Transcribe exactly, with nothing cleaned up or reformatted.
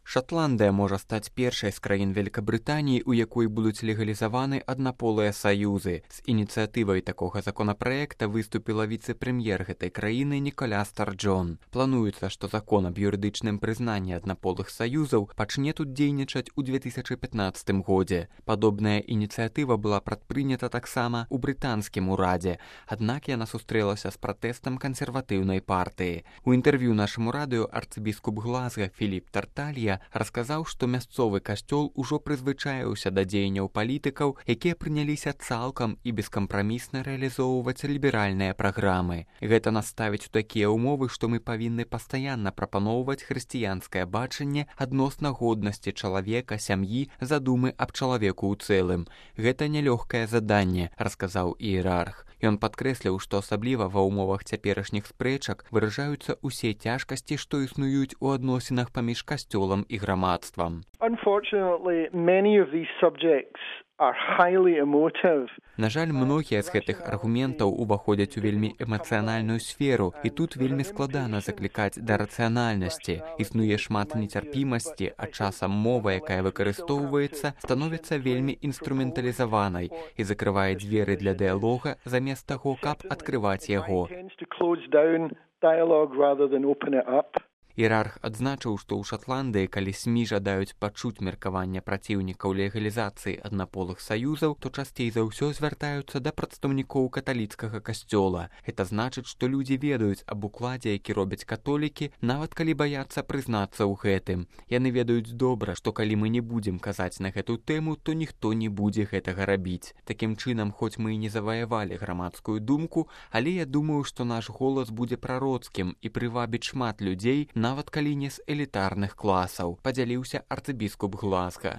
Шатландыя можа стаць першай з краін Вялікабрытаніі, у якой будуць легалізаваны аднаполыя саюзы. З ініцыятывай такога законапраекта выступіла віцэ-прэм'ер гэтай краіны Ніколя Старджон. Плануецца, што закон аб юрыдычным прызнанні аднаполых саюзаў пачне тут дзейнічаць у две тысячы пятнаццатым годзе. Падобная ініцыятыва была прадпрынята таксама ў брытанскім урадзе, аднак яна сустрэлася з пратэстам кансерватыўнай партыі. У інтэрв'ю нашаму радыё арцыбіскуп Глазга Філіп Тарталья расказаў, што мясцовы касцёл ужо прызвычаіўся да дзеянняў палітыкаў, якія прыняліся цалкам і бескампрамісна рэалізоўваць ліберальныя праграмы. Гэта нас ставіць у такія ўмовы, што мы павінны пастаянна прапаноўваць хрысціянскае бачанне адносна годнасці чалавека, сям'і, задумы аб чалавеку ў цэлым. Гэта нялёгкае заданне, расказаў іерарх. Ён падкрэсліў, што асабліва ва ўмовах цяперашніх спрэчак выражаюцца ўсе цяжкасці, што існуюць у адносінах паміж касцёлам і грамадствам. Unfortunately, many of these subjects are highly emotive. На жаль, многія з гэтых аргументаў уваходзяць у вельмі эмацыянальную сферу, і тут вельмі складана заклікаць да рацыянальнасці. Існуе шмат нецярпімасці, а часам мова, якая выкарыстоўваецца, становіцца вельмі інструменталізаванай і закрывае дзверы для дыялога замест таго, каб адкрываць яго. Іерарх адзначыў, што ў Шатландыі, калі СМІ жадаюць пачуць меркаванне праціўнікаў легалізацыі аднаполых саюзаў, то часцей за ўсё звяртаюцца да прадстаўнікоў каталіцкага касцёла. Гэта значыць, што людзі ведаюць аб укладзе, які робяць католікі, нават калі баяцца прызнацца ў гэтым. Яны ведаюць добра, што калі мы не будзем казаць на гэту тэму, то ніхто не будзе гэтага рабіць. Такім чынам, хоць мы і не заваявалі грамадскую думку, але я думаю, што наш голас будзе прароцкім і прывабіць шмат людзей, нават калі не з элітарных класаў, падзяліўся арцыбіскуп Глазга.